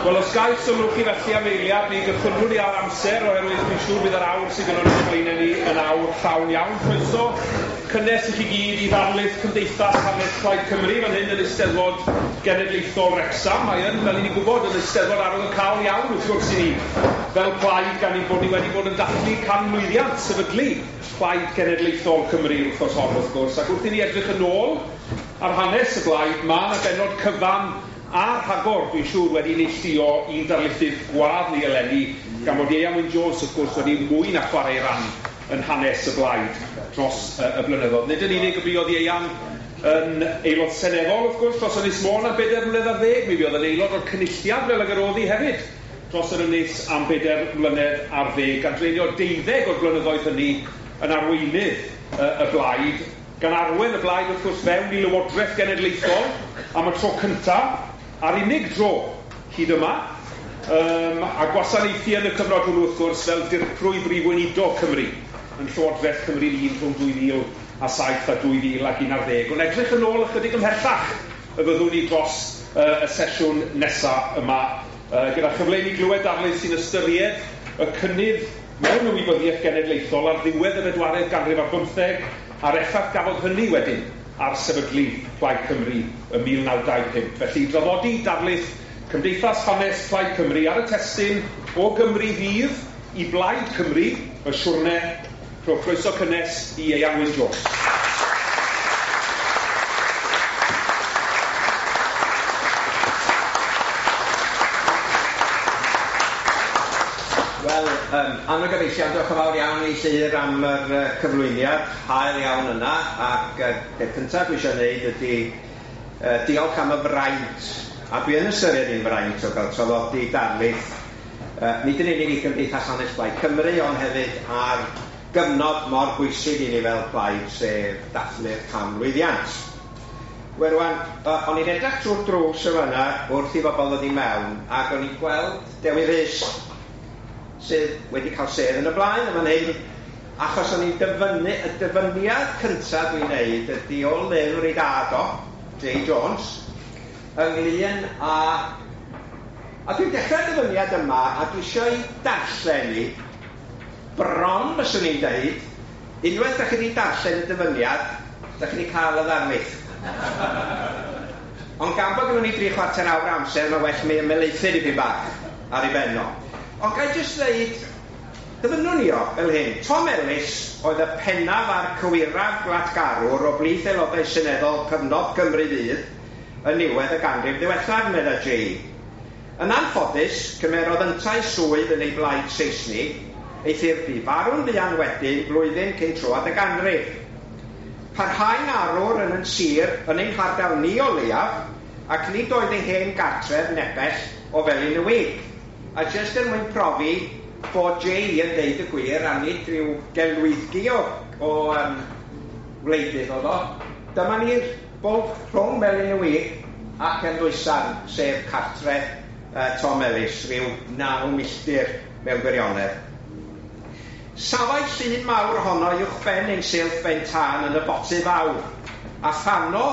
Wel, os gael sylw chi felly am eiliad, mi gychwynnwn ni ar amser, oherwydd dwi'n siŵr bydd yr awr sydd gynnon ni o'ch blaenau ni yn awr llawn iawn. Croeso cynnes i chi gyd i ddarlith Cymdeithas Hanes Plaid Cymru fan hyn yn Eisteddfod Genedlaethol Wrecsam. Mae yn, fel i ni'n gwybod, yn Eisteddfod arwyddocaol iawn wrth gwrs i ni fel plaid, gan ein bod ni wedi bod yn dathlu canmlwyddiant sefydlu Plaid Genedlaethol Cymru wythnos hon wrth gwrs, ac wrth i ni edrych yn ôl ar hanes y blaid, mae yna bennod cyfan a rhagor, dwi'n siŵr, wedi neilltuo i'n darlithydd gwadd ni eleni, gan fod Ieuan Wyn Jones, wrth gwrs, wedi mwy na chwarae ei ran yn hanes y blaid dros y blynyddoedd. Nid yn unig y buodd Ieuan yn aelod seneddol, wrth gwrs, dros Ynys Môn am bedair mlynedd ar ddeg, mi fuodd yn aelod o'r Cynulliad fel ag yr oedd hi hefyd dros yr ynys am bedair mlynedd ar ddeg, gan dreulio deuddeg o'r blynyddoedd hynny yn arweinydd y blaid, gan arwain y blaid wrth gwrs fewn i Lywodraeth Genedlaethol am y tro cyntaf, a'r unig dro hyd yma, a gwasanaethu yn y cyfnod hwnnw wrth gwrs fel Dirprwy Brif Weinidog Cymru yn Llywodraeth Cymru Un rhwng 2007 a 2011. Ond edrych yn ôl ychydig ymhellach y fyddwn ni dros y sesiwn nesaf yma, gyda chyfle i ni glywed darlith sy'n ystyried y cynnydd mewn ymwybyddiaeth genedlaethol ar ddiwedd y bedwaredd ganrif ar bymtheg, a'r effaith gafodd hynny wedyn ar sefydlu Plaid Cymru ym 1925. Felly, i draddodi darlith Cymdeithas Hanes Plaid Cymru ar y testun O Gymru Fydd i Blaid Cymru, y siwrne, rhowch croeso cynnes i Ieuan Wyn Jones. Wel, anwyl gyfeillion, diolch yn fawr iawn i Llyr am yr cyflwyniad hael iawn yna, ac peth cyntaf dwi eisiau gwneud ydy diolch am y fraint, a dwi yn ystyried hi'n fraint o gael traddodi darlith, nid yn unig i Gymdeithas Hanes Plaid Cymru, ond hefyd ar gyfnod mor bwysig i ni fel plaid, sef dathlu'r canmlwyddiant. Wel rwan, o'n i'n edrych trwy'r drws yn fan'na wrth i bobl ddod i mewn, ac o'n i'n gweld Dewi Rhys, sydd wedi cael sedd yn y blaen yn fan hyn, achos o'n i'n dyfynnu, y dyfyniad cyntaf dwi'n neud ydy o lyfr ei dad o, Jay Jones, ynglyn â... A dwi'n dechrau'r dyfyniad yma, a dwi eisiau ei darllen i, bron fyswn i'n deud, unwaith da chi wedi darllen y dyfyniad, da chi wedi cael y ddarlith. Ond gan bod gynnon ni 3/4 awr amser, mae well mi ymhelaethu dipyn bach ar ei ben o. Ond ga i jyst ddeud, dyfynnwn ni o fel hyn. Tom Ellis oedd y pennaf a'r cywiraf gwlatgarwr o blith aelodau seneddol cyfnod Cymru Fydd yn niwedd y ganrif ddiwethaf, medda Jay. Yn anffodus, cymerodd yntau swydd yn ei blaid Seisnig, eithr bu farw'n fuan wedyn, blwyddyn cyn troad y ganrif. Parhau'n arwr yn yn sir, yn ein hardal ni o leiaf, ac nid oedd ei hen gartref nepell o Felin y Wig. A jyst er mwyn profi bod Jay yn deud y gwir, a nid rhyw gelwyddgi o wleidydd oedd o, dyma ni'r bwlch rhwng Melin y Wig ac Eldwysarn, sef cartre Tom Ellis, rhyw 9 milltir mewn gwirionedd. Safai llun mawr ohono uwchben ein silff ben tân yn y boty fawr, a thano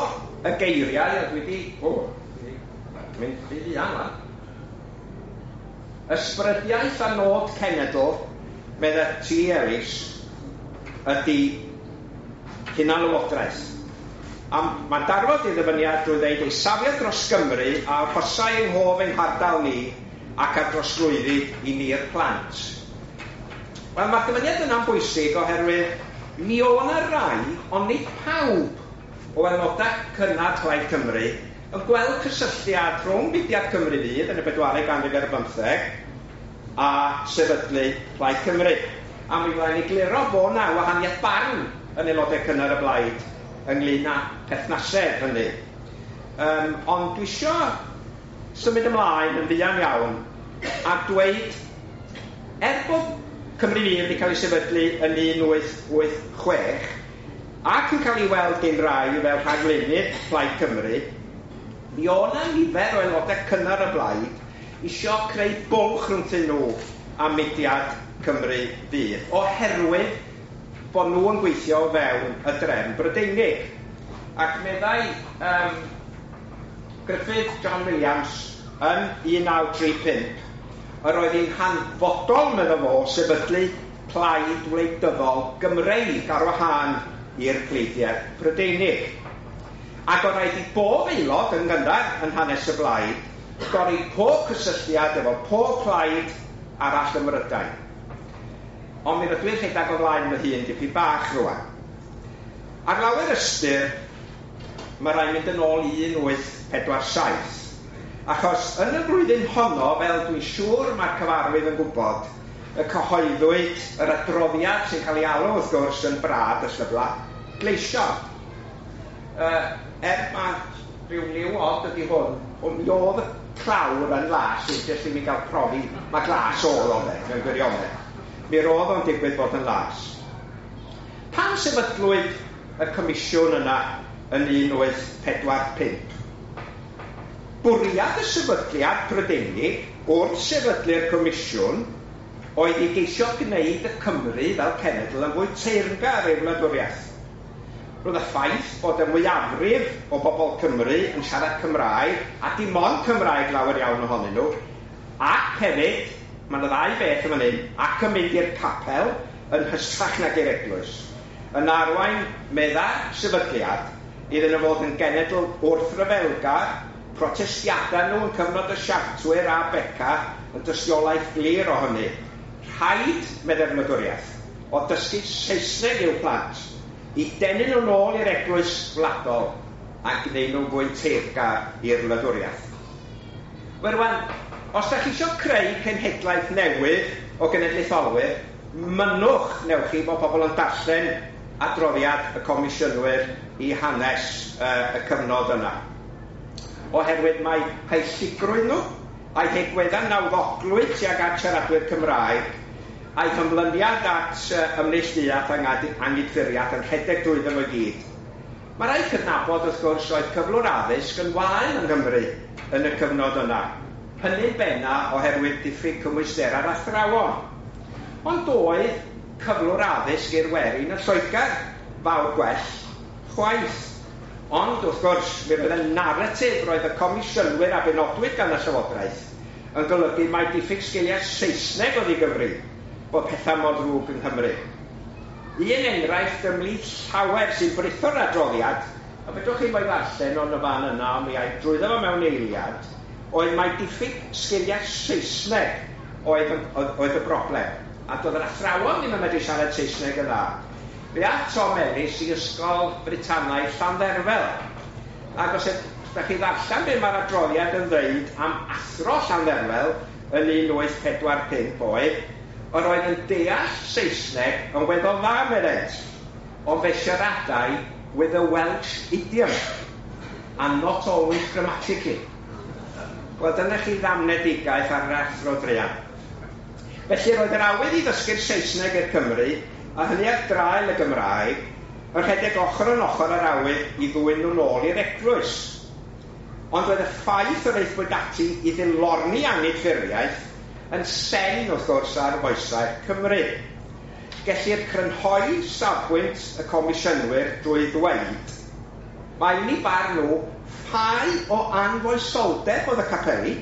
y geiriau, a dwi wedi... O, dwi wedi mynd rhy fuan wan. Ysbrydiaeth a nod cenedl, medda T. Ellis, ydy hunanlywodraeth. A mae'n darfod ei ddyfyniad drwy ddeud ei safiad dros Gymru a arhosai yng nghof ein hardal ni ac a drosglwyddi i ni'r plant. Wel, mae'r dyfyniad yna'n bwysig oherwydd mi o' 'na rai, ond nid pawb, o aelodau cynnar Plaid Cymru yn gweld cysylltiad rhwng mudiad Cymru Fydd yn y bedwaredd ganrif ar bymtheg a sefydlu Plaid Cymru. A mi fyddai'n egluro bod 'na wahaniaeth barn yn aelodau cynnar y blaid ynglyn â perthnasedd hynny. Ond dwi isio symud ymlaen yn fuan iawn a dweud, er bod Cymru Fydd wedi cael ei sefydlu yn 1886 ac yn cael ei weld gen rai fel rhagflaenydd Plaid Cymru, mi o' 'na nifer o aelodau cynnar y blaid isio creu bwlch rhwngthyn nhw a mudiad Cymru Fydd, oherwydd bod nhw yn gweithio o fewn y drefn Brydeinig. Ac meddai Gruffydd John Williams yn 1935, yr oedd hi'n hanfodol, medda fo, sefydlu plaid wleidyddol Gymreig ar wahân i'r pleidiau Prydeinig. Ac oedd rhaid i bob aelod yn gynnar yn hanes y blaid dorri pob cysylltiad efo pob plaid arall ym Mhrydain. Ond mi rydw i'n rhedeg o flaen fy hun dipyn bach rwan. Ar lawer ystyr, mae rhaid mynd yn ôl i 1847. Achos yn y flwyddyn honno, fel dwi'n siŵr mae'r cyfarwydd yn gwybod, y cyhoeddwyd yr adroddiad sy'n cael ei alw wrth gwrs yn Brad y Llyfrau Gleision. Mae rhyw liw od ydy hwn, ond mi oedd y clawr yn las, jyst i mi gael profi, mae glas oedd o fe, mewn gwirionedd. Mi roedd o'n digwydd bod yn las. Pan sefydlwyd y comisiwn yna yn 1845, bwriad y sefydliad Prydeinig wrth sefydlu'r comisiwn oedd i geisio gwneud y Cymru fel cenedl yn fwy teyrngar i'r wladwriaeth. Roedd y ffaith bod y mwyafrif o bobl Cymru yn siarad Cymraeg, a dim ond Cymraeg lawer iawn ohonyn nhw, ac hefyd, mae yna ddau beth yn fan hyn, ac yn mynd i'r capel yn hystrach nag i'r eglwys, yn arwain medda'r sefydliad iddyn nhw fod yn genedl wrthryfelgar, protestiadau nhw yn cyfnod y Siartwyr a Beca yn dystiolaeth glir o hynny. Rhaid, meddai'r wladwriaeth, o dysgu Saesneg i'w plant, i denu nhw nôl i'r eglwys wladol a gwneud nhw'n fwy teyrngar i'r wladwriaeth. Wel rwan, os da chi eisiau creu cenhedlaeth newydd o genedlaetholwyr, mynnwch, newch chi, bod pobl yn darllen adroddiad y comisiynwyr i hanes y cyfnod yna. Oherwydd mae haelligrwydd nhw, a'i hegweddau nawddoglwydd tuag at siaradwyr Cymraeg, a'i hymlyniad at ymneilltuaeth angydffuriaeth yn rhedeg drwyddo nhw i gyd. Mae rhaid cydnabod, wrth gwrs, oedd cyflwr addysg yn wael yng Nghymru yn y cyfnod yna. Hynny'n benna oherwydd diffyg cymwysterau'r athrawon. Ond doedd cyflwr addysg i'r werin yn Lloegr fawr gwell chwaith. Ond, wrth gwrs, mi roedd y naratif roedd y comisiynwyr a benodwyd gan y Llywodraeth yn golygu mai diffyg sgiliau Saesneg oedd i gyfri bod pethau mor ddrwg yng Nghymru. Un enghraifft ymhlith llawer sy'n britho'r adroddiad, a fedrwch chi mo'i ddarllen o'n y fan yna, ond mi ai drwyddo fo mewn eiliad, oedd mai diffyg sgiliau Saesneg oedd y broblem. A doedd yr athrawon ddim yn medru siarad Saesneg yn dda. Fe ath Tom Ellis i Ysgol Britanaidd Llandderfel. Ac os ydych chi ddarllen be mae'r adroddiad yn dweud am athro Llandderfel yn 1845 oedd, yr oedd yn deall Saesneg yn weddol dda, meddent, ond fe siaradai with a Welsh idiom, and not always grammatically. Wel, dyna chi ddamnedigaeth ar yr athro druan. Felly roedd yr awydd i ddysgu'r Saesneg i'r Cymru, a hynny ar draul y Gymraeg, yn rhedeg ochr yn ochr â'r awydd i ddwyn nhw'n ôl i'r eglwys. Ond roedd y ffaith yr aethpwyd ati i ddilorni angydffurfiaeth yn sen, wrth gwrs, ar foesau'r Cymru. Gellir crynhoi safbwynt y comisiynwyr drwy ddweud, mae ni barn nhw ffau o anfoesoldeb oedd y capeli,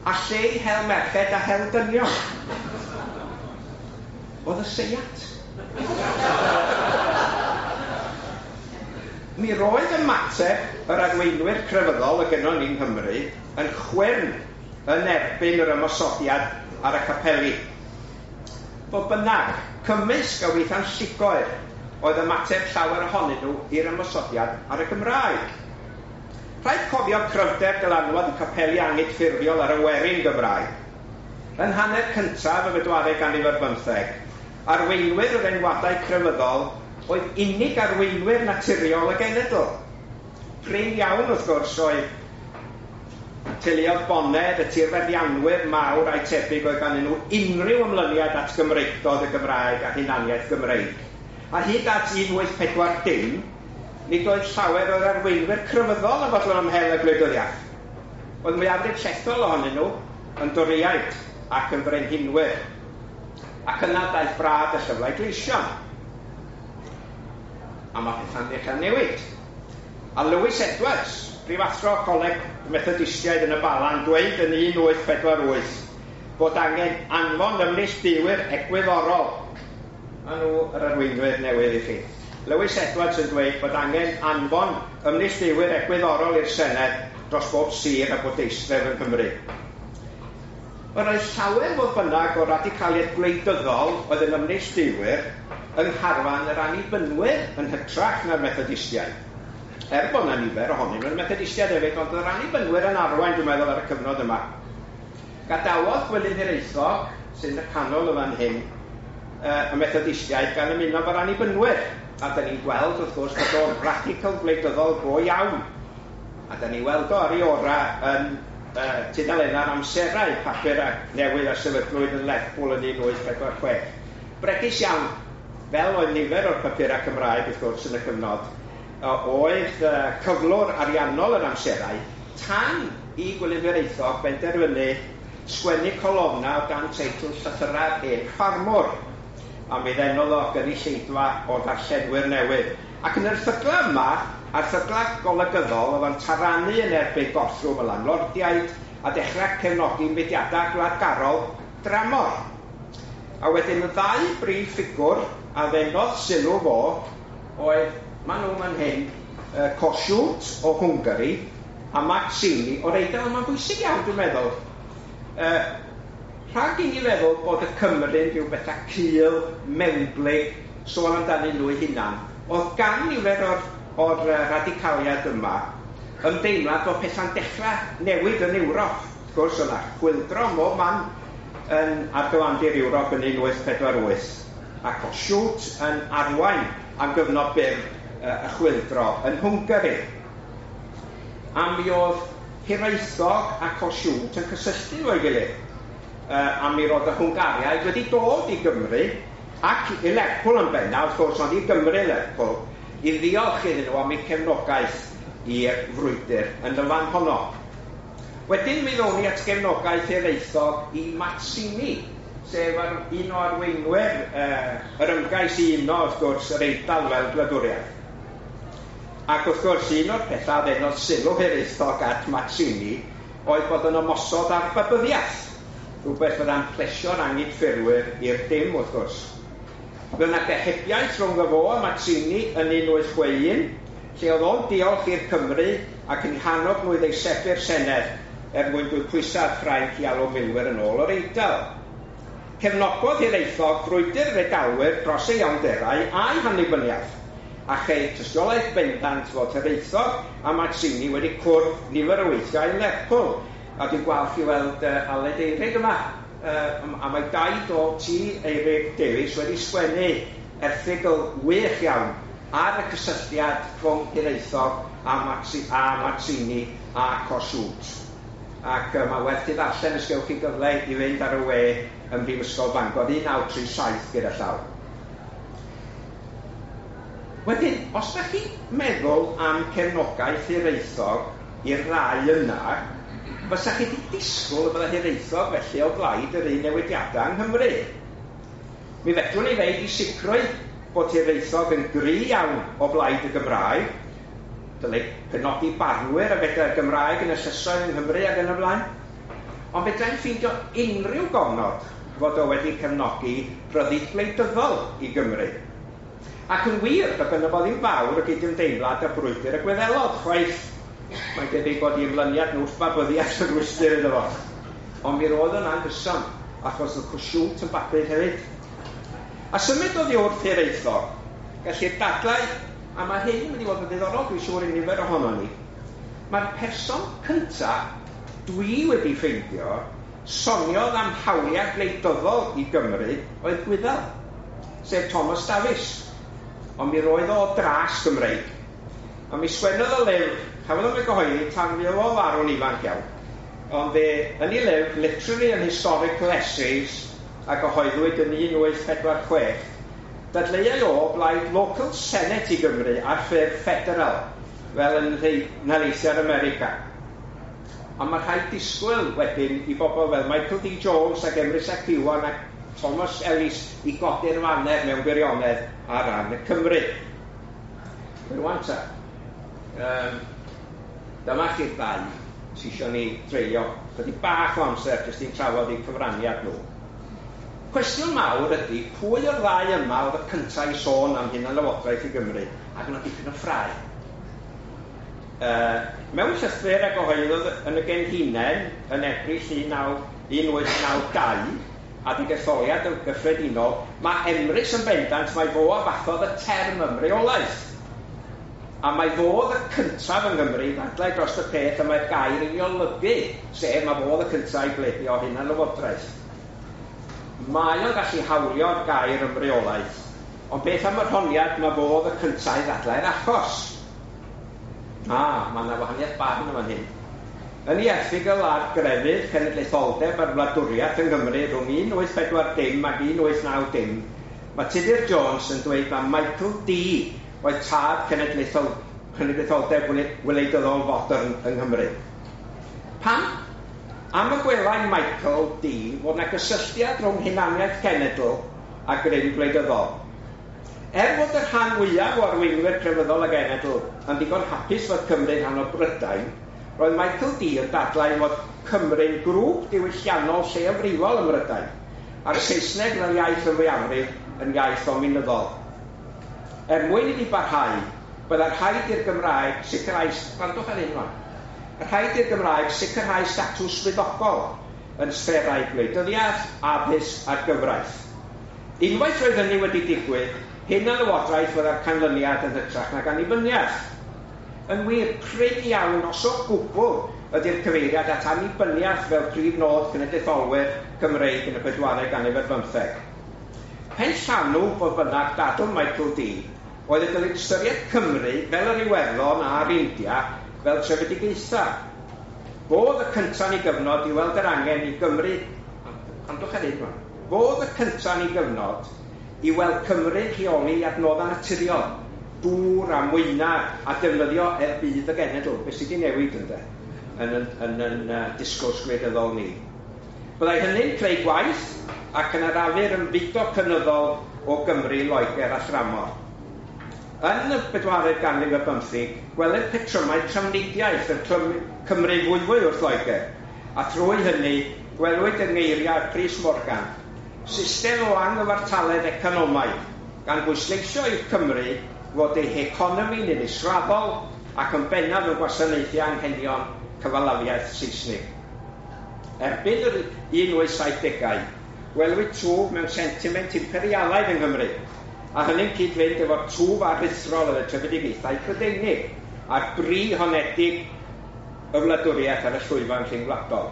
a lle i hel merched a hel dynion. Oedd y seiat. Mi roedd ymateb yr arweinwyr crefyddol y gynnon ni yng Nghymru yn chwyrn yn erbyn yr ymosodiad ar y capeli. Fodd bynnag, cymysg a weithiau'n llugoer oedd ymateb llawer ohonyn nhw i'r ymosodiad ar y Gymraeg. Rhaid cofio cryfder dylanwad y capeli angydffurfiol ar y werin Gymraeg. Yn hanner cyntaf y bedwaredd ganrif ar bymtheg, arweinwyr yr enwadau crefyddol oedd unig arweinwyr naturiol y genedl. Prin iawn, wrth gwrs, oedd teuluoedd bonedd, y tirfeddianwyr mawr a'i tebyg oedd ganddyn nhw unrhyw ymlyniad at Gymreictod y Gymraeg a hunaniaeth Gymreig. A hyd at 1840, nid oedd llawer o'r arweinwyr crefyddol yn fodlon ymhel y gwleidyddiaeth. Oedd mwyafrif llethol ohonyn nhw yn Dorïaid ac yn frenhinwyr. Ac yna daeth brad y llyfrau gleision. A mae pethau'n dechrau newid. A Lewis Edwards, prifathro Coleg Methodistiaid yn y Bala, yn dweud yn 1848 bod angen anfon ymneilltuwyr egwyddorol. Maen nhw yr arweinwyr newydd i chi. Lewis Edwards yn dweud bod angen anfon ymneilltuwyr egwyddorol i'r Senedd dros bob sir a bwrdeistref yng Nghymru. Yr oedd llawer, fodd bynnag, o radicaliaid gwleidyddol oedd yn ymneilltuwyr yng ngharfan yr Annibynwyr yn hytrach na'r Methodistiaid. Er bod yna nifer ohonyn nhw'n Methodistiaid hefyd, ond yr Annibynwyr yn arwain, dwi'n meddwl, ar y cyfnod yma. Gadawodd Gwilym Hiraethog, sy'n y canol y fan hyn, y Methodistiaid gan ymuno efo'r Annibynwyr. A da ni'n gweld, wrth gwrs, bod o'n radical gwleidyddol go iawn. A da ni'n weld o ar ei orau yn tudalennau'r Amserau, papur a newydd a sefydlwyd yn Lerpwl yn 1846. Bregus iawn, fel oedd nifer o'r papurau Cymraeg, wrth gwrs, yn y cyfnod, oedd cyflwr ariannol yr Amserau tan i Gwilym Hiraethog benderfynu sgwennu colofna o dan teitl Llythyrau'r Hen Ffarmwr, a mi ddenodd o gynulleidfa o ddarllenwyr newydd. Ac yn yr erthyglau yma, erthyglau golygyddol, oedd o'n taranu yn erbyn gorthrwm y landlordiaid a dechrau cefnogi mudiadau gwladgarol dramor. A wedyn y ddau brif ffigwr a ddenodd sylw fo oedd, maen nhw fan hyn, Kossuth o Hwngari a Mazzini o'r Eidal. Mae'n bwysig iawn, dwi'n meddwl. Rhag i ni feddwl bod y Cymru'n rhyw bethau cul, mewnblyg, sôn amdanyn nhw eu hunan, oedd gan nifer o'r radicaliad yma ymdeimlad bod pethau'n dechrau newid yn Ewrop. Wrth gwrs, yna chwyldro mob man yn ar gyfandir Ewrop yn 1848, a Kossuth yn arwain am gyfnod byr y chwyldro yn Hwngari. A mi oedd Hiraethog a Kossuth yn cysylltu efo'i gilydd. A mi roedd y Hwngariaid wedi dod i Gymru ac i Lerpwl yn bennaf, wrth gwrs, ond i Gymru Lerpwl, i ddiolch iddyn nhw am eu cefnogaeth i'r frwydr yn y fan honno. Wedyn mi ddown ni at gefnogaeth Hiraethog i Mazzini, sef un o arweinwyr yr ymgais i uno, wrth gwrs, yr Eidal fel gwladwriaeth. Ac wrth gwrs, un o'r pethau ddenodd sylw Hiraethog at Mazzini oedd bod yn ymosod ar babyddiaeth, rhywbeth fydda'n plesio'r angydffurfwyr i'r dim, wrth gwrs. Fe yna gohebiaeth rhwng y fo a Mazzini yn 1861, lle oedd o'n diolch i'r Cymru ac yn hannog nhw i ddeisebu'r Senedd er mwyn dwyn pwysau ar Ffrainc i alw milwyr yn ôl o'r Eidal. Cefnogodd Hiraethog frwydr yr Eidalwyr dros ei iawnderau a'i hannibyniaeth, a cheir tystiolaeth bendant fod Hiraethog a Mazzini wedi cwrdd nifer o weithiau yn Lerpwl. A dwi'n gwalch i weld Aled Eirig yma, a mae daid o T. Eirig Davies wedi sgwennu erthygl wych iawn ar y cysylltiad rhwng Hiraethog a Mazzini a Kossuth. Ac mae werth i ddarllen os gewch chi gyfle i fynd ar y we ym Mhrifysgol Bangor 1937 gyda llaw. Wedyn, os da chi'n meddwl am cefnogaeth Hiraethog i'r ddau yna, fysa chi wedi disgwyl y bydda Hiraethog felly o blaid yr un newidiadau yng Nghymru. Mi fedrwn ni ddeud i sicrwydd bod Hiraethog yn gry iawn o blaid y Gymraeg, dylai penodi barnwyr a fedrai'r Gymraeg yn y llysoedd yng Nghymru ac yn y blaen. Ond fedrai'n ffeindio unrhyw gofnod fod o wedi cefnogi rhyddid gwleidyddol i Gymru. Ac yn wir, doedd gynno fo ddim fawr o gydymdeimlad â brwydr y Gwyddelod, chwaith. Mae'n debyg bod i ymlyniad nhw wrth babyddiaeth yn rwystr iddo fo. Ond mi roedd o'n anghyson, achos oedd Kossuth yn babydd hefyd. A symud oddi wrth Hiraethog, gellir dadlau, a mae hyn yn mynd i fod yn ddiddorol, dwi'n siŵr i nifer ohono ni, mae'r person cyntaf dwi wedi ffeindio soniodd am hawliau gwleidyddol i Gymru oedd Gwyddel, sef Thomas Davies. Ond mi roedd o dras Gymreig. A mi sgwennodd o lyfr, chafodd o'm ei gyhoeddi tan mi oedd o farw'n ifanc iawn. Ond fe, yn ei lyfr, Literary and Historical Essays, a gyhoeddwyd yn 1846, dadleuai o blaid local senate i Gymru ar ffurf federal, fel yn nhaleithiau'r America. A mae rhaid disgwyl wedyn i bobl fel Michael D. Jones ac Emrys ap Iwan ac Thomas Ellis i godi'r faner mewn gwirionedd ar ran y Cymru. Rwan ta. Dyma chi'r ddau sy isio ni dreulio chydig bach o amser jyst i'n trafod eu cyfraniad nhw. Cwestiwn mawr ydy, pwy o'r ddau yma oedd y cyntaf i sôn am hunanlywodraeth i Gymru, ac yna dipyn o ffrae. Mewn llythyr a gyhoeddodd yn y Genhinen yn Ebrill 1892, adeg etholiad y gyffredinol, mae Emrys yn bendant mai fo a fathodd y term ymreolaeth. A mai fo oedd y cyntaf yng Nghymru i ddadlau dros y peth y mae'r gair yn ei olygu, sef mae fo oedd y cyntaf i bledio hunanlywodraeth. Mae o'n gallu hawlio'r gair ymreolaeth, ond beth am yr honiad mae fo oedd y cyntaf i ddadlau'r achos? Mae yna wahaniaeth barn yn fan hyn. Yn ei erthygl ar grefydd, cenedlaetholdeb a'r wladwriaeth yng Nghymru rhwng 1840 ac 1890, mae Tudur Jones yn dweud mai Michael Dee oedd tad cenedlaetholdeb wleidyddol fodern yng Nghymru. Pam? Am y gwelai Michael Dee fod yna gysylltiad rhwng hunaniaeth cenedl a grym gwleidyddol. Er fod y rhan fwyaf o arweinwyr crefyddol y genedl yn ddigon hapus fod Cymru'n rhan o Brydain, roedd Michael Dee yn dadlau fod Cymru'n grŵp diwylliannol lleiafrifol ym Mhrydain, a'r Saesneg fel iaith y mwyafrif yn iaith ddominyddol. Er mwyn iddi barhau, byddai rhaid i'r Gymraeg sicrhau... Gwrandwch ar hyn rwan. Rhaid i'r Gymraeg sicrhau statws swyddogol yn sfferau gwleidyddiaeth, addysg a'r gyfraith. Unwaith roedd hynny wedi digwydd, hunanlywodraeth fyddai'r canlyniad yn hytrach nag annibyniaeth. Yn wir, prin iawn, os o gwbl, ydy'r cyfeiriad at annibyniaeth fel prif nod cenedlaetholwyr Cymreig yn y pedwaredd ganrif ar bymtheg. Pen llanw, fodd bynnag, dadl Michael Dee oedd y dylid ystyried Cymru fel yr Iwerddon a'r India fel trefedigaethau. Fo oedd y cyntaf yn ei gyfnod i weld yr angen i Gymru... Gwrandwch ar hyn rwan. Fo oedd y cyntaf yn ei gyfnod i weld Cymru'n rheoli adnoddau naturiol, dŵr a mwynau a defnyddio er budd y genedl. Be sydd wedi newid ynde, yn yn, yn, yn disgwrs gwleidyddol ni. Byddai hynny'n creu gwaith ac yn arafu'r ymfudo cynyddol o Gymru, Loegr a thramor. Yn y bedwaredd ganrif ar bymtheg, gwelir petrymau trafnidiaeth yn Cymru fwyfwy wrth Loegr, a thrwy hynny gwelwyd yng ngeiriau Prys Morgan, system o anghyfartaledd economaidd, gan bwysleisio i'r Cymru fod ei heconomi'n un israddol ac yn bennaf yn gwasanaethu anghenion cyfalafiaeth Saesnig. Erbyn yr 1870au, gwelwyd twf mewn sentiment imperialaidd yng Nghymru, a hynny'n cyd-fynd efo'r twf aruthrol yn y trefedigaethau Prydeinig a'r bri honedig y wladwriaeth ar y llwyfan rhyngwladol.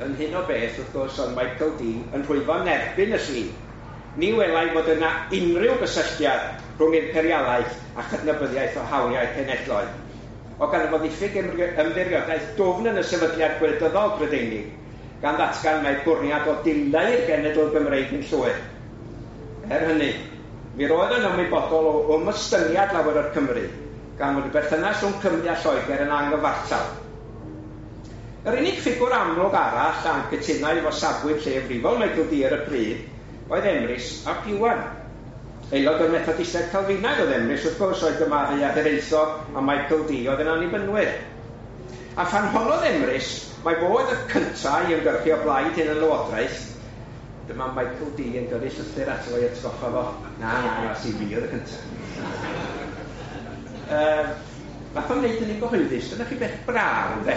Yn hyn o beth, wrth gwrs, oedd Michael Dee yn rhwyfo'n erbyn y llu. Ni welai fod yna unrhyw gysylltiad rhwng imperialaeth a chydnabyddiaeth o hawliau cenedloedd. O gan fod ddiffyg ymddiriedaeth dwfn yn y sefydliad gwleidyddol Prydeinig, gan ddatgan mai bwriad o dileu'r genedl Gymreig yn llwyr. Er hynny, mi roedd yn ymwybodol o ymostyngiad lawer o'r Cymry, gan fod y berthynas rhwng Cymru a Lloegr yn anghyfartal. Yr unig ffigwr amlwg arall a'n cytunai efo safbwynt lleiafrifol Michael Dee ar y pryd oedd Emrys ap Iwan. Aelod o'r Methodistiaid Calfinaidd oedd Emrys, wrth gwrs, oedd gymaru â Hiraethog a Michael Dee oedd yn annibynwyr. A phan honnodd Emrys, mai fo oedd y cyntaf i ymgyrchu o blaid hunanlywodraeth, dyma Michael Dee yn gyrru llythyr ato fo i atgoffa fo, na, na, na, si fi oedd y cyntaf. Nath o'n wneud hynny'n gyhoeddus, dyna chi beth braf, ynde?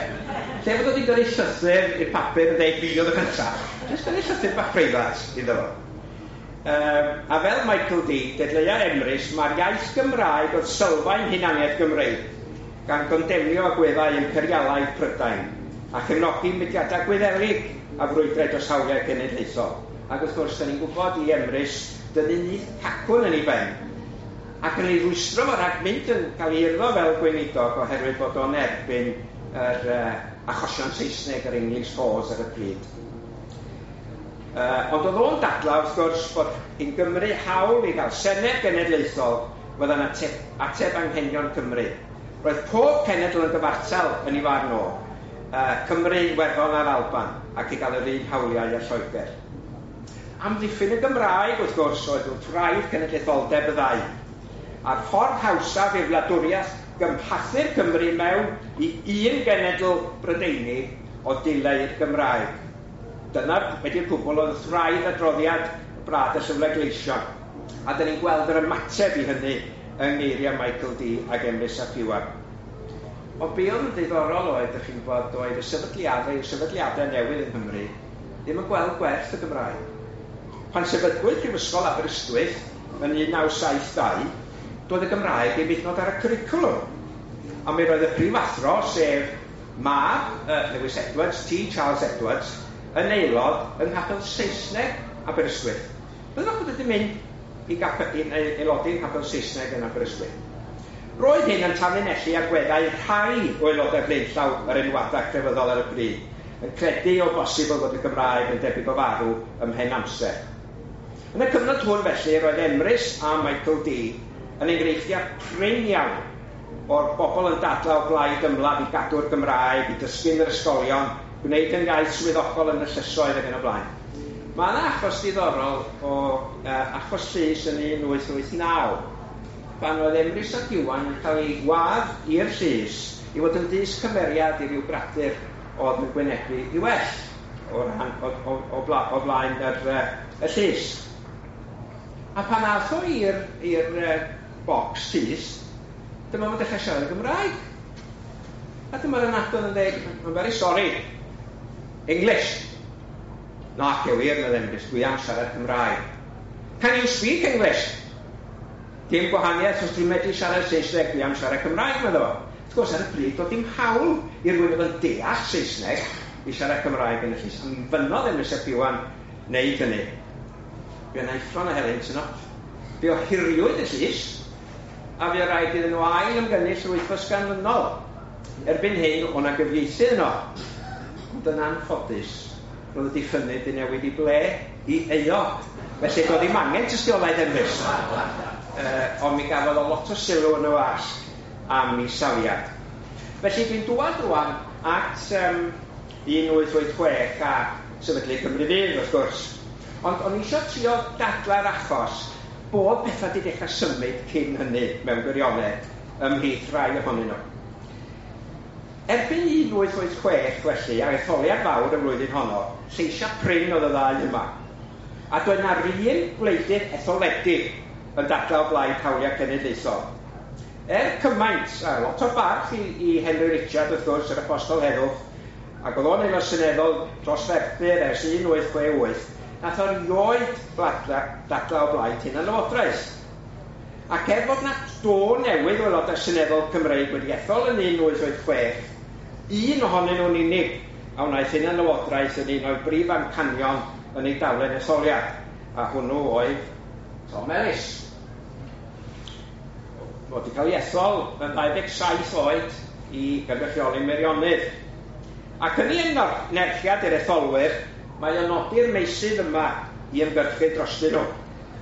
Lle fod o wedi gyrru llythyr i'r papur yn dweud fi oedd y cyntaf, jyst gyrru llythyr bach preifat iddo fo. A fel Michael Dee, dadleua Emrys, mae'r iaith Gymraeg oedd sylfaen hunaniaeth Gymreig, gan gondemnio agweddau imperialaidd Prydain, a chefnogi mudiadau Gwyddelig a frwydrau dros hawliau cenedlaethol. Ac wrth gwrs, da ni'n gwybod i Emrys dynnu nyth cacwn yn ei ben, ac yn ei rwystro fo rhag mynd yn cael ei urddo fel gweinidog oherwydd bod o'n erbyn yr achosion Saesneg, yr English cause ar y pryd. Ond oedd o'n dadlau, wrth gwrs, bod yn Gymru hawl i gael Senedd Genedlaethol fydda'n ateb, ateb anghenion Cymru. Roedd pob cenedl yn gyfartal yn ei farn o, Cymru, Iwerddon a'r Alban, ac i gael yr un hawliau â Lloegr. Amddiffyn y Gymraeg, wrth gwrs, oedd wrth wraidd cenedlaetholdeb y ddau. A'r ffordd hawsaf i'r wladwriaeth gymhathu'r Cymru mewn i un genedl Brydeinig o dileu'r Gymraeg. Dyna wedi'r cwbl oedd wraidd adroddiad y Brad y Llyfrau Gleision. A dyn ni'n gweld yr ymateb i hynny yng ngeiriau Michael D ac Emrys ap Iwan. Ond be oedd yn ddiddorol oedd, ydych chi'n gwybod, oedd y sefydliadau, y sefydliadau newydd yng Nghymru ddim yn gweld gwerth y Gymraeg. Pan sefydlwyd Prifysgol Aberystwyth yn 1972, doedd y Gymraeg ddim hyd yn oed ar y cwricwlwm. A mi roedd y prifathro, sef mab Lewis Edwards, T. Charles Edwards, yn aelod yng Nghapel Saesneg Aberystwyth. Byddwch bod wedi mynd i aelodi yng Nghapel Saesneg yn Aberystwyth. Roedd hyn yn tanlinellu agweddau rhai o aelodau blaenllaw yr enwadau crefyddol ar y pryd, yn credu o bosibl fod y Gymraeg yn debyg o farw ymhen amser. Yn y cyfnod hwn felly, roedd Emrys a Michael D yn enghreifftiau prin iawn o'r bobl yn dadlau o blaid ymladd i gadw'r Gymraeg, i dysgu yn yr ysgolion, gwneud yn iaith swyddogol yn y llysoedd ac yn y blaen. Mae yna achos diddorol o achos llys yn 1889, pan oedd Emrys ap Iwan yn cael ei wadd i'r llys i fod yn dys cymeriad i ryw gradur oedd yn gwynebu i well o, ran, o, o, o, bla, o flaen yr, y llys. A pan ath o i'r bocs llys, dyma fo'n dechrau siarad yn Gymraeg. A dyma'r ynadon yn dweud, I'm very sorry, English. Na, cewir, meddai Emrys, dwi am siarad Cymraeg. Can you speak English? Dim gwahaniaeth, os dwi'n medru siarad Saesneg, dwi am siarad Cymraeg, meddai fo. Wrth gwrs, ar y pryd, doedd dim hawl i rywun oedd yn deall Saesneg i siarad Cymraeg yn y llys. A mi fynnodd Emrys ap Iwan wneud hynny. Fe yna uffron o helynt yno. Fe ohiriwyd y llys, a fe rhaid iddyn nhw ail ymgynnull yr wythnos ganlynol. Erbyn hyn, o' 'na gyfieithydd yno. Ond yn anffodus, roedd y diffynnydd 'di newid i ble? I euog. Felly doedd ddim angen tystiolaeth Emrys. Ond mi gafodd o lot o sylw yn y wasg am ei safiad. Felly dwi'n dŵad rwan at 1886 a sefydlu Cymru Fydd, wrth gwrs. Ond o'n i eisiau trio dadlau'r achos bod pethau wedi dechrau symud cyn hynny mewn gwirionedd ymhlith rhai ohonyn nhw. Erbyn 1886 felly, a'r etholiad fawr y flwyddyn honno, lleisiau prin oedd y ddau yma. A doedd na'r un gwleidydd etholedig yn dadlau o blaid hawliau cenedlaethol. Er cymaint, a lot o barch i Henry Richard wrth gwrs, yr apostol heddwch, ac oedd o'n aelod seneddol dros Ferthyr ers 1868, nath o rioed dadlau o blaid hunanlywodraeth. Ac er fod na do newydd o aelodau seneddol Cymreig wedi ethol yn 1886, un ohonyn nhw'n unig a wnaeth hunanlywodraeth yn un o'i brif amcanion yn ei daflen etholiad, a hwnnw oedd Tom Ellis. Fod wedi cael ei ethol yn 27 oed i gynrychioli Meirionnydd. Ac yn ei nerchiad i'r etholwyr, mae o'n nodi'r meysydd yma i ymgyrchu drostyn nhw.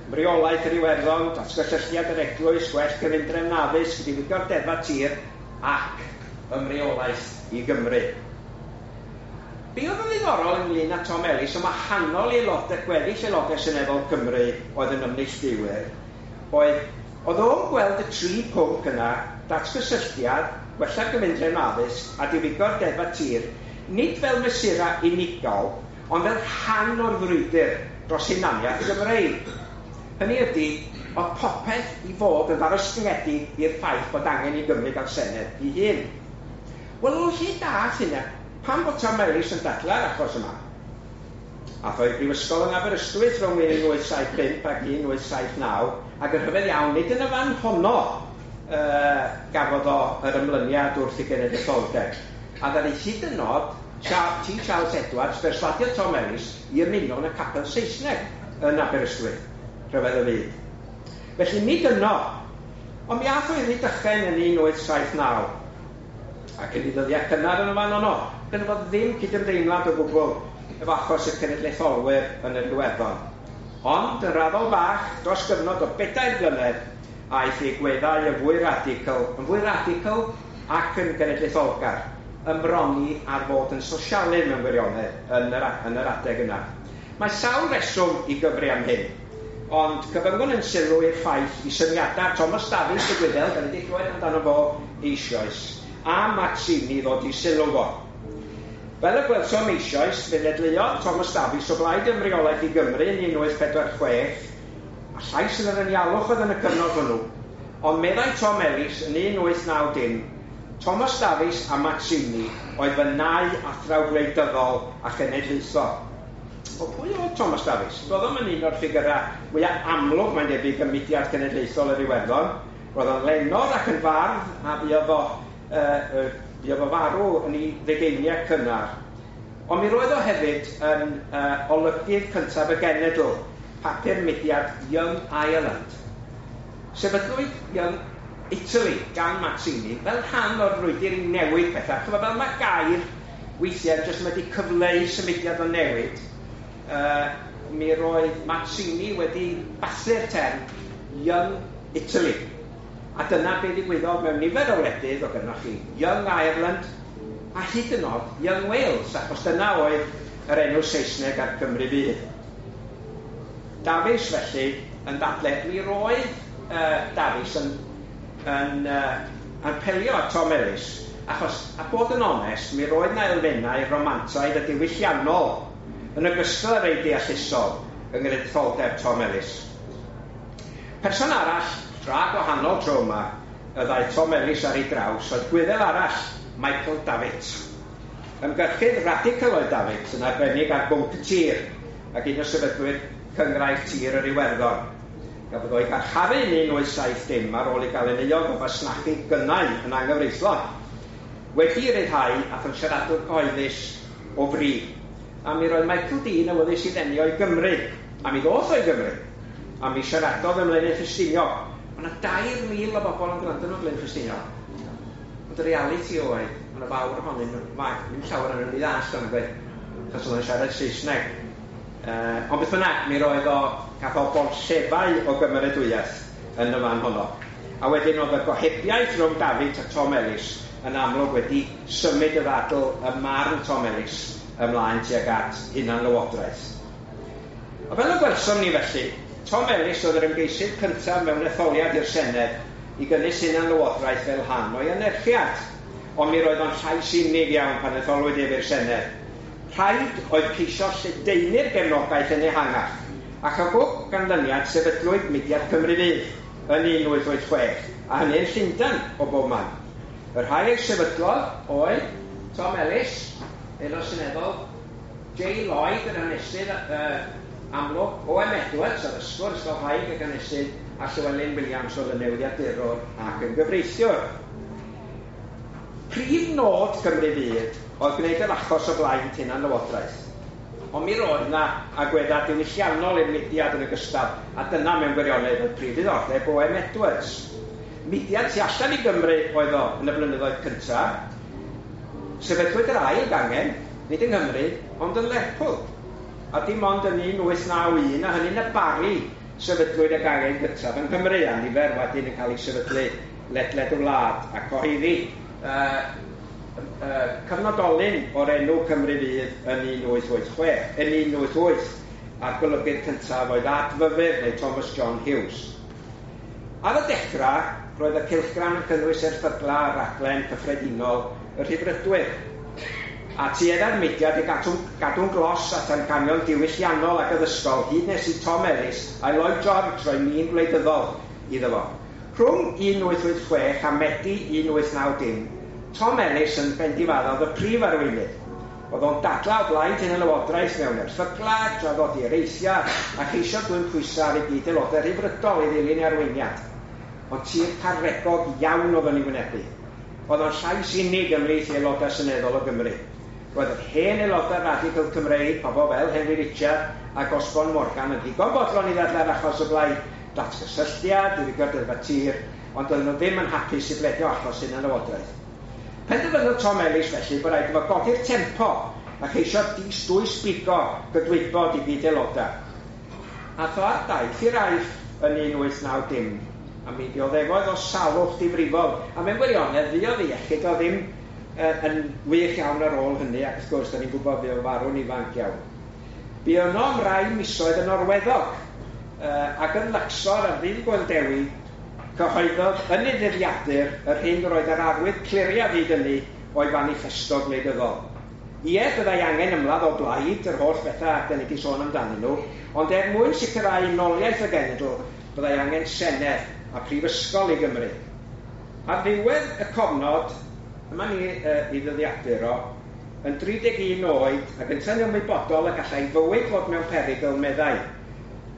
Ymreolaeth yr Iwerddon, datgysylltiad yr Eglwys, gwell cyfundrefn addysg, diwygio'r deddfa tir ac ymreolaeth i Gymru. Be oedd yn ddiddorol ynglyn â Tom Ellis, yn wahanol i aelodau, gweddill aelodau Seneddol Cymru oedd yn ymneilltuwyr, oedd o'n gweld y tri pwnc yna, datgysylltiad, gwella'r gyfundrefn addysg a diwygio'r deddfa tir, nid fel mesurau unigol, ond fel rhan o'r frwydr dros hunaniaeth Gymreig. Hynny ydy, oedd popeth i fod yn ddarostyngedig i'r ffaith bod angen i Gymru gael Senedd ei hun. Wel, o lle dath hynna? Pam bod Tom Ellis yn dadlau'r achos yma? Ath o i'r Brifysgol yn Aberystwyth rhwng 1875 ac 1879, ac yn rhyfedd iawn, nid yn y fan honno gafodd o yr ymlyniad wrth i genedlaetholdeb. A ddaru hyd yn oed T. Charles Edwards berswadio Tom Ellis i ymuno yn y capel Saesneg yn Aberystwyth, rhyfedd y byd. Felly nid yno, ond mi ath o i Rydychen yn 1879, ac yn ei ddyddiau cynnar yn y fan honno, gynno fo ddim cydymdeimlad o gwbl efo achos y cenedlaetholwyr yn yr Iwerddon. Ond yn raddol bach, dros gyfnod o 4 blynedd, aeth ei agweddau yn fwy radical ac yn genedlaetholgar, ymroni ar fod yn sosialydd mewn gwirionedd yn yr adeg yna. Mae sawl reswm i gyfri am hyn. Ond cyfyngwn yn sylw i'r ffaith i syniadau Thomas Davies y Gwyddel, da ni wedi clywed amdano fo eisoes, a Mazzini ddod i sylw fo. Fel y gwelsom eisoes, fe ddadleuodd Thomas Davies o blaid ymreolaeth i Gymru yn 1846, a llais yn yr anialwch oedd yn y cyfnod hwnnw, ond meddai Tom Ellis yn 1890, Thomas Davies a Mazzini oedd fy nau athraw gwleidyddol a chenedlaethol. O pwy oedd Thomas Davies? Doedd o'm yn un o'r ffigurau mwyaf amlwg, mae'n debyg, ym mudiad cenedlaethol yr Iwerddon. Roedd o'n lenor ac yn fardd, a fuodd o, fuodd o farw yn ei ddegeiniau cynnar. Ond mi roedd o hefyd yn olygydd cyntaf y genedl, papur mudiad Young Ireland. Sefydlwyd Young Italy gan Mazzini fel rhan o'r frwydr i newid pethau. Chymod, fel mae gair weithiau jyst wedi cyfleu symudiad o newid, mi roedd Mazzini wedi bathu'r term Young Italy. A dyna be ddigwyddodd mewn nifer o wledydd, o gynnoch chi Young Ireland a hyd yn oed Young Wales, achos dyna oedd yr enw Saesneg ar Gymru Fydd. Davies, felly, yn dadle, mi roedd Davies yn apelio at Tom Ellis, achos, a bod yn onest, mi roedd na elfennau romantaidd a diwylliannol yn ogystal â rei deallusol yng nghenedlaetholdeb Tom Ellis. Person arall, tra gwahanol tro yma, y ddaeth Tom Ellis ar ei draws oedd Gwyddel arall, Michael Davitt. Ymgyrchydd radical oedd Davitt, yn arbennig ar bwnc y tir, ac un o sefydlwyr Cynghrair Tir yr Iwerddon. Gafodd o'i garcharu yn 1870 ar ôl ei gael yn euog o fasnachu gynnau yn anghyfreithlon. Wedi ei ryddhau, aeth yn siaradwr cyhoeddus o fri. A mi roedd Michael D yn awyddus i ddenu o'i Gymru, a mi ddoth o'i Gymru. A mi siaradodd ym Mlaenau Ffestiniog. Mae yna 3,000 o bobl yn gwrando nhw Blaenau Ffestiniog. Ond y realiti oedd, mae yna fawr ohonyn nhw, mae ddim llawer ohonyn nhw'n ei ddallt o'n gweud, achos oedd o'n siarad Saesneg. Ond beth bynnag, mi roedd o, gath o borllefau o gymeradwyaeth yn y fan honno. A wedyn oedd y gohebiaeth rhwng Davitt a Tom Ellis yn amlwg wedi symud y ddadl ym marn Tom Ellis ymlaen tuag at hunanlywodraeth. A fel y gwelsom ni felly, Tom Ellis oedd yr ymgeisydd cyntaf mewn etholiad i'r Senedd i gynnwys hunanlywodraeth fel rhan o'i anerchiad. Ond mi roedd o'n llais unig iawn pan etholwyd ef i'r Senedd. Rhaid oedd ceisio lledaenu'r gefnogaeth yn ehangach, ac o bob ganlyniad sefydlwyd mudiad Cymru Fydd yn 1886, a hynny yn Llundain o bob man. Y rhai ei sefydlodd oedd Tom Ellis, aelod seneddol, J. Lloyd, yr hanesydd amlwg, O.M. Edwards, addysgwr, ysgolhaig ac hanesydd, a Llywelyn Williams oedd yn newyddiadurwr ac yn gyfreithiwr. Prif nod Cymru Fydd oedd gwneud yr achos o blaid hunanlywodraeth. Ond mi roedd yna agweddau diwylliannol i'r mudiad yn ogystal, a dyna mewn gwirionedd oedd prif ddiddordeb O.M. Edwards. Mudiad tu allan i Gymru oedd o yn y blynyddoedd cyntaf. Sefydlwyd yr ail gangen, nid yng Nghymru, ond yn Lerpwl. A dim ond yn 1891, a hynny'n y Bari, sefydlwyd y gangen gyntaf yng Nghymru, a nifer wedyn yn cael ei sefydlu ledled y wlad, a cyhoeddi cyfnodolyn o'r enw Cymru Fydd yn 1886, yn 1888, a'r golygydd cyntaf oedd Adfyfyr neu Thomas John Hughes. Ar y dechrau, roedd y cylchgrawn yn cynnwys erthyglau a raglen cyffredinol y Rhyddfrydwyr, a tuedda'r mudiad i gadw'n glos at amcanion diwylliannol ac addysgol hyd nes i Tom Ellis a Lloyd George roi min gwleidyddol iddo fo. Rhwng 1886 a Medi 1890, Tom Ellis yn bendifaddodd y prif arweinydd. Oedd o'n dadlau o blaid hunanlywodraeth mewn erthyglau, traddodi areithiau, a cheisio dwyn pwysau ar ei gyd-aelodau rhyddfrydol i ddilyn ei arweiniad. Ond tir caregog iawn oedd o'n ei wynebu. Oedd o'n llais unig ymhlith aelodau seneddol o Gymru. Roedd yr hen aelodau radical Cymreig, pobl fel Henry Richard ac Osborne Morgan, yn ddigon bodlon i ddadlau'r achos o blaid datgysylltiad, diwygio'r deddfau tir, ond doedden nhw ddim yn hapus i bledio achos hunanlywodraeth. Penderfynodd Tom Ellis felly bod rhaid iddo godi'r tempo a cheisio dwys bigo gydwybod i gyd-aelodau. Ath o ar daith i'r Aifft yn 1890, a mi ddioddefodd o salwch difrifol, a mewn gwirionedd fuodd ei iechyd o ddim yn wych iawn ar ôl hynny, ac wrth gwrs, da ni'n gwybod fuodd farw'n ifanc iawn. Bu yno am rai misoedd yn orweddog, Ac yn Luxor ar ddydd Gŵyl Dewi, cyhoeddodd yn ei ddyddiadur yr hyn roedd yr arwydd cliriaf hyd hynny o'i faniffesto gwleidyddol. Ie, byddai angen ymladd o blaid yr holl bethau da ni wedi sôn amdanyn nhw, ond er mwyn sicrhau unoliaeth y genedl, byddai angen senedd a prifysgol i Gymru. Ar ddiwedd y cofnod, yma ni i ddyddiadur o, yn 31 oed ac yntau'n ymwybodol y gallai fywyd fod mewn perygl, meddai: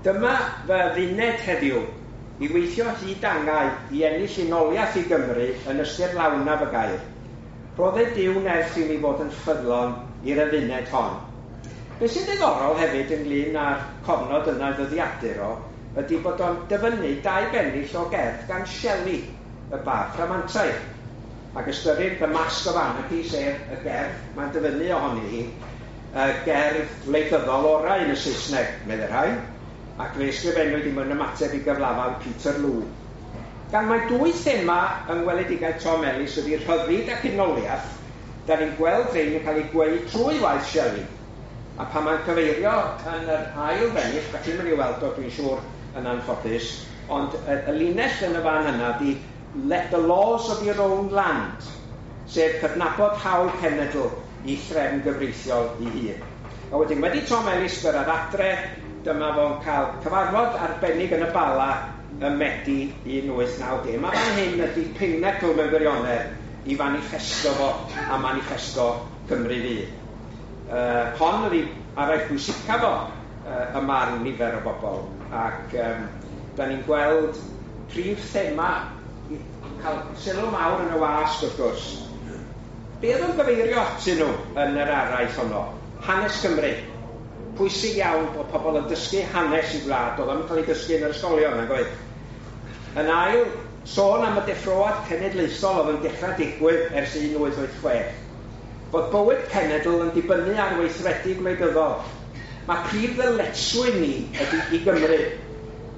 "Dyma fy adduned heddiw, i weithio hyd angau i ennill unoliaeth i Gymru yn ystyr lawnaf y gair. Rhodded Duw nerth i mi fod yn ffyddlon i'r adduned hon." Be sy'n ddiddorol hefyd ynglyn â'r cofnod yna ddyddiadur o, ydy bod o'n dyfynnu dau bennill o gerdd gan Shelley, y bardd rhamantaidd. Ac ystyrir The Mask of Anarchy, sef y gerdd mae'n dyfynnu ohoni hi, y gerdd wleidyddol orau yn y Saesneg, meddai rhai, ac fe ysgrifennwyd i mewn ymateb i gyflafan Peterloo. Gan mai dwy thema yng ngweledigaeth Tom Ellis ydy rhyddid ac unoliaeth, da ni'n gweld rhain yn cael eu gweu trwy waith Shelley. A pan mae'n cyfeirio yn yr ail bennill, da chi'n mynd i weld o, dwi'n siŵr, yn anffodus, ond y linell yn y fan yna di "Let the laws of your own land", sef cydnabod hawl cenedl i threfn gyfreithiol ei hun. A wedyn, wedi Tom Ellis gyrraedd adre, dyma fo'n cael cyfarfod arbennig yn y Bala ym Medi 1890. Mae fan hyn ydy pinnacle mewn gwirionedd i faniffesto fo a maniffesto Cymru Fydd. Hon ydy araith bwysicaf fo y marn nifer o bobl, ac da ni'n gweld prif thema cael sylw mawr yn y wasg wrth gwrs. Be oedd o'n gyfeirio atyn nhw yn yr araith honno? Hanes Cymru. Pwysig iawn bod pobl yn dysgu hanes i wlad, oedd o'n cael ei dysgu yn yr ysgolion, nag oedd? Yn ail, sôn am y deffroad cenedlaethol oedd yn dechrau digwydd ers 1886. Bod bywyd cenedl yn dibynnu ar weithredu gwleidyddol. Mae prif ddyletswydd ni ydy i Gymru.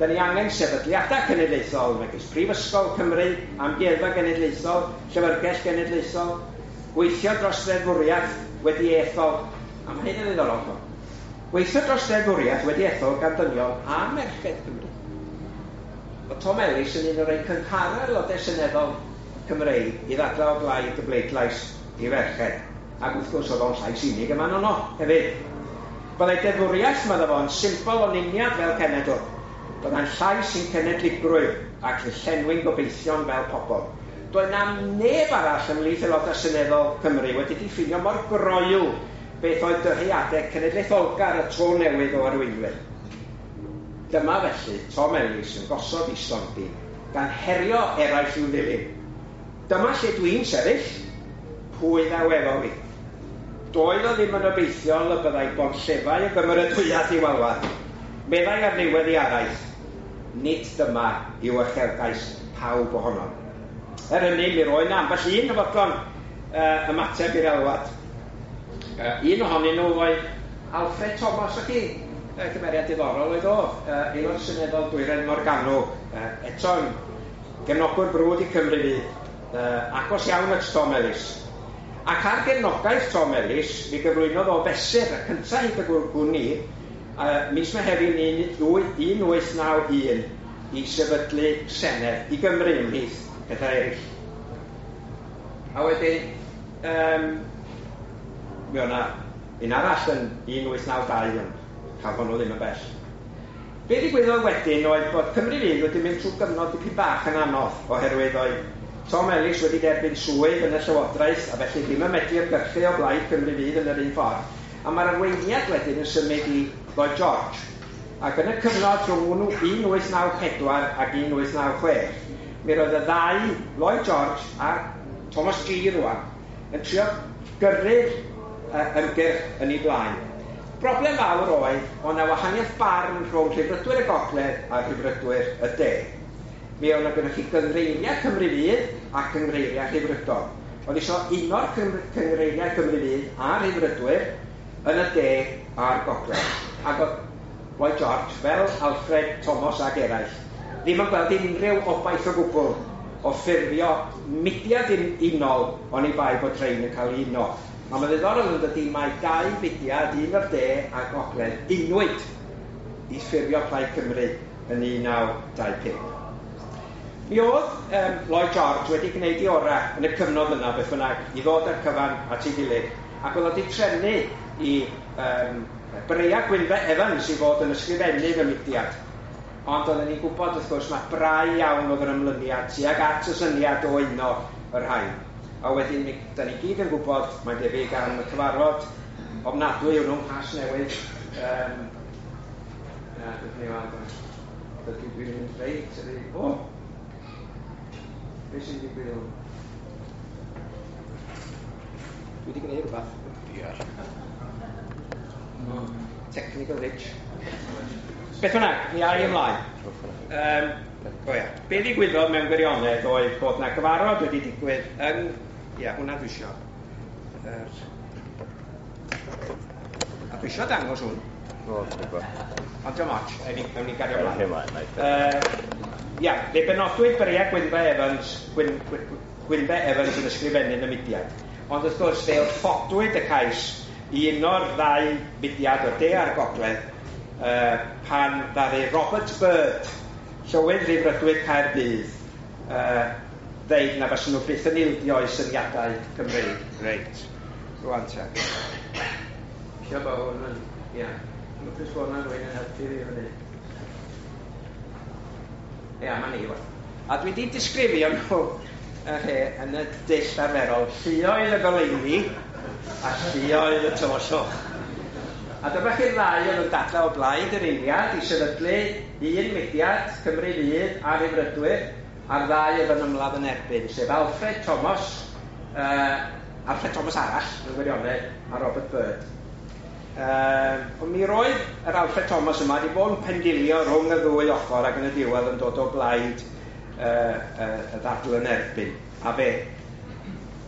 Da ni angen sefydliadau cenedlaethol, megis Prifysgol Cymru, Amgueddfa Genedlaethol, Llyfrgell Genedlaethol, gweithio dros ddeddfwriaeth wedi ethol, a mae hyn yn ddiddorol, gweithio dros ddeddfwriaeth wedi ethol gan dynion a merched Cymru. Oedd Tom Ellis yn un o'r rhai cynghara aelodau seneddol Cymreig i ddadlau o blaid y bleidlais i ferched. Ac wrth gwrs oedd o'n llais unig yma yno hefyd. Byddai deddfwriaeth, medda fo, yn symbol o'n uniad fel cenedl. Byddai'n llais i'n cenedligrwydd ac yn llenwi'n gobeithion fel pobl. Doedd na neb arall ymhlith aelodau seneddol Cymru wedi diffinio mor groyw beth oedd dyheadau cenedlaetholgar y tro newydd o arweinwyr. Dyma felly Tom Ellis yn gosod ei stondin, gan herio eraill i'w ddilyn. "Dyma lle dwi'n sefyll, pwy ddaw efo fi?" Doedd o ddim yn obeithiol y byddai bonllefau o gymeradwyaeth i'w alwad. Meddai ar ddiwedd ei araith, "Nid dyma yw uchelgais pawb ohonom." Er hynny, mi roedd 'na ambell un yn fodlon ymateb i'r alwad. Un ohonyn nhw oedd Alfred Thomas, o chi, cymeriad diddorol oedd o, aelod seneddol Dwyrain Morgannwg, eto'n gefnogwr brwd i Cymru Fydd, agos iawn at Tom Ellis. Ac ar gefnogaeth Tom Ellis, mi gyflwynodd o fesur, y cyntaf hyd y gwn i, mis Mehefin 1891 i sefydlu Senedd i Gymru ymhlith pethau eraill. A wedyn, mi o'na un arall yn 1892, ond cael hwnnw ddim yn bell. Be ddigwyddodd wedyn oedd bod Cymru Fydd wedi mynd trwy gyfnod dipyn bach yn anodd, oherwydd oedd Tom Ellis wedi derbyn swydd yn y Llywodraeth a felly ddim yn medru ymgyrchu o blaid Cymru Fydd yn yr un ffordd. A mae'r arweiniad wedyn yn symud i Lloyd George. Ac yn y cyfnod rhwng 1894 ac 1896, mi roedd y ddau, Lloyd George a Thomas Gee rwan, yn trio gyrru'r ymgyrch yn ei blaen. Broblem fawr oedd, oedd 'na wahaniaeth barn rhwng Rhyddfrydwyr y Gogledd a Rhyddfrydwyr y De. Mi oedd 'na gynnoch chi gynghreiriau Cymru Fydd a cynghreiriau Rhyddfrydol. Oedd isio uno'r cynghreiriau Cymru Fydd a Rhyddfrydwyr yn y De a'r Gogledd. Ac oedd Lloyd George, fel Alfred Thomas ac eraill, ddim yn gweld unrhyw obaith o gwbl o ffurfio mudiad unol oni bai bod rhain yn cael ei uno. A mae'n ddiddorol yn dydy, mae dau fudiad, un o'r De a Gogledd, unwyd i ffurfio Plaid Cymru yn 1925. Mi oedd Lloyd George wedi gwneud ei orau yn y cyfnod yna, beth bynnag, i ddod â'r cyfan at ei gilydd, ac oedd wedi trefnu i Breia Gwynfe Evans i fod yn ysgrifennydd y mudiad. Ond oedden ni'n gwybod, wrth gwrs, mae brau iawn oedd yr ymlyniad tuag at y syniad o uno y rhain. A wedyn, da ni gyd yn gwybod, mae'n debyg am y cyfarfod ofnadwy hwnnw, Nghasnewydd. Na, dwi'n mynd dwi'n mynd reit, o! Beth sy'n digwydd hwn? Dwi wedi gwneud rhywbeth. Diar. Technical hitch. Beth bynnag, mi ai ymlaen. O ia, be ddigwyddodd mewn gwirionedd oedd bod na gyfarfod wedi digwydd yn... Ia, hwnna dwi isio. A dwi isio dangos hwn. O, dwi'n gwybod. Ond diolch ots, ewn ni gario ymlaen. Ymlaen, Ia, fe benodwyd Breia Gwynfe Evans, Gwynfe Evans yn ysgrifennydd y mudiad. Ond wrth gwrs, fe wrthodwyd y cais i uno'r ddau mudiad o'r de a'r gogledd pan ddaru Robert Byrd, llywydd Rhyddfrydwyr Caerdydd, ddeud na faswn nhw byth yn ildio i syniadau Cymreig. Reit, rwan te. Isio bod hwn yn... Ia, lwcus bod hwnna'n rhywun yn helpu fi fyny. Ia, ma' ni, wel. A dwi wedi disgrifio nhw yn y dull arferol, lluoedd y goleuni a lluoedd y tywyllwch. A dyma chi'r ddau oedd yn dadlau o blaid yr uniad i sefydlu un mudiad, Cymru Fydd a Rhyddfrydwyr, a'r ddau oedd yn ymladd yn erbyn, sef Alfred Thomas, Alfred Thomas arall, mewn gwirionedd, a Robert Byrd. Ond mi roedd yr Alfred Thomas yma wedi bod yn pendilio rhwng y ddwy ochr ac yn y diwedd yn dod o blaid y ddadl yn erbyn. A fe,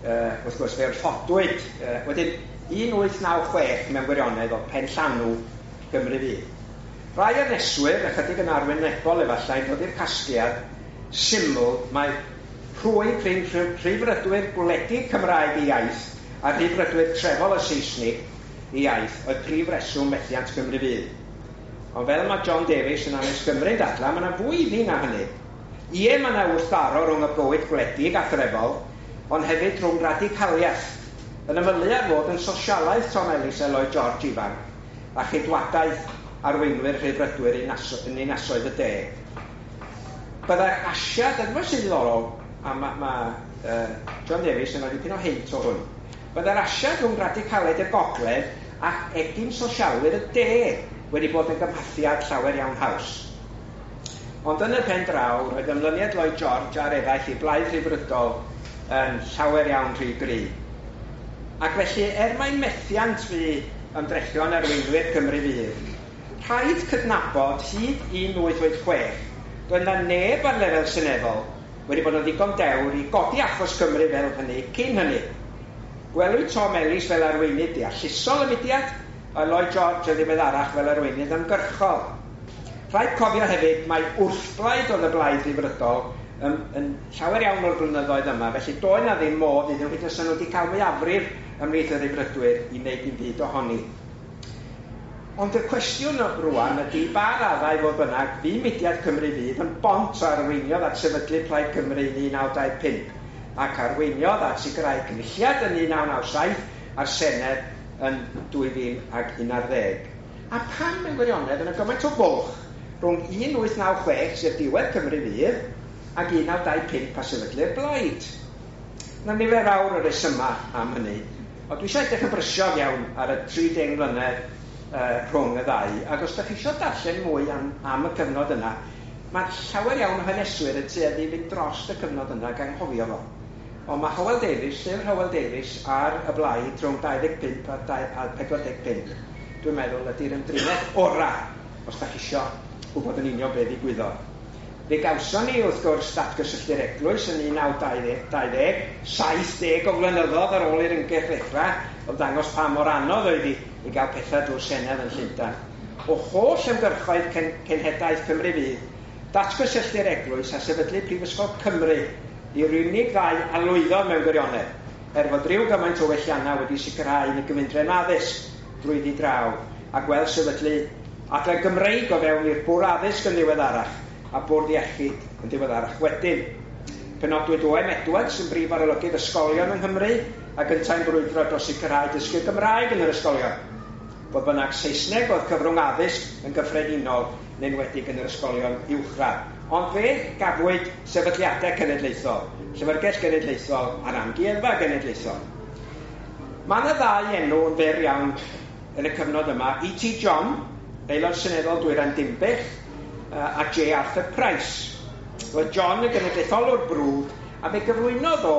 wrth gwrs, fe wrthodwyd, wedyn 1896 mewn gwirionedd oedd pen llanw Gymru Fydd. Rai haneswyr, ychydig yn arwynebol efallai, yn dod i'r casgliad syml mae rhwyg rhwng rhyddfrydwyr gwledig Cymraeg i iaith a rhyddfrydwyr trefol y Saesnig i iaith oedd prif reswm methiant Cymru Fydd. Ond fel mae John Davies yn Hanes Cymru dadla, mae yna fwy iddi na hynny. Ie, mae yna wrthdaro rhwng y bywyd gwledig a threfol, ond hefyd rhwng radicaliaeth, yn ymylu ar fod yn sosialaeth Tom Ellis a Lloyd George ifanc, a cheidwadaeth arweinwyr rhyddfrydwyr yn ninasoedd y de. Byddai'r asiad, a dyma sy'n ddiddorol, a mae John Davies yn rhoi dipyn o hint o hwn, byddai'r asiad rhwng radicaliaid y gogledd ac egin sosialwyr y de wedi bod yn gymhathiad llawer iawn haws. Ond yn y pen draw, roedd ymlyniad Lloyd George a'r eraill i blaid rhyddfrydol yn llawer iawn rhy gry. Ac felly, er mai methiant fu ymdrechion arweinwyr Cymru Fydd, rhaid cydnabod hyd 1886, doedd na neb ar lefel seneddol wedi bod yn ddigon dewr i godi achos Cymru fel hynny cyn hynny. Gwelwyd Tom Ellis fel arweinydd deallusol y mudiad, a Lloyd George yn ddiweddarach fel arweinydd ymgyrchol. Rhaid cofio hefyd mai wrthblaid oedd y blaid rhyddfrydol yn llawer iawn o'r blynyddoedd yma, felly doedd na ddim modd iddyn nhw hyd yn oed nhw wedi cael mwyafrif ymhlith y rhyddfrydwyr i wneud dim byd ohoni. Ond y cwestiwn rwan ydy ba raddau fodd bynnag fu mudiad Cymru Fydd yn bont a arweiniodd at sefydlu Plaid Cymru yn 1925 ac arweiniodd at sicrhau cynulliad yn 1997 a'r Senedd yn 2011. A pam mewn gwirionedd yna gymaint o fwlch rhwng 1896, sef diwedd Cymru Fydd, ac 1925 a sefydlu'r blaid? Na nifer fawr o resymau am hynny, ond dwi eisiau edrych yn brysiog iawn ar y 30 mlynedd rhwng y ddau, ac os ydych chi eisiau darllen mwy am y cyfnod yna, mae llawer iawn o haneswyr yn tueddu i fynd dros y cyfnod yna ac anghofio fo. Ond mae Hywel Davies, llyfr Hywel Davies ar y blaid rhwng 25 a 45, dwi'n meddwl ydy'r ymdriniaeth orau, os ydych chi eisiau gwybod yn union be ddigwyddodd. Fe gawson ni, wrth gwrs, datgysylltu'r eglwys yn 1920, 70 o flynyddoedd ar ôl i'r ymgyrch ddechrau, oedd dangos pa mor anodd oedd hi i gael pethau drwy'r Senedd yn Llundain. O holl ymgyrchoedd cenhedlaeth Cymru Fydd, datgysylltu'r eglwys a sefydlu Prifysgol Cymru i'r unig ddau a lwyddodd mewn gwirionedd, er fod rhyw gymaint o welliannau wedi sicrhau yn y gyfundrefn addysg drwyddi draw, a gweld sefydlu Adran Gymreig o fewn i'r Bwrdd Addysg yn ddiweddarach a Bwrdd Iechyd yn ddiweddarach wedyn. Penodwyd O.M. Edwards yn brif arolygydd ysgolion yng Nghymru ac yntau'n brwydro dros sicrhau dysgu Gymraeg yn yr ysgolion. Fodd bynnag, Saesneg oedd cyfrwng addysg yn gyffredinol, yn enwedig yn yr ysgolion uwchradd. Ond fe gafwyd sefydliadau cenedlaethol, Llyfrgell Genedlaethol a'r Amgueddfa Genedlaethol. Mae yna ddau enw yn fyr iawn yn y cyfnod yma, E.T. John, aelod seneddol Dwyrain Dinbych, a J. Arthur Price. Roedd John yn genedlaetholwr brwd, a fe gyflwynodd o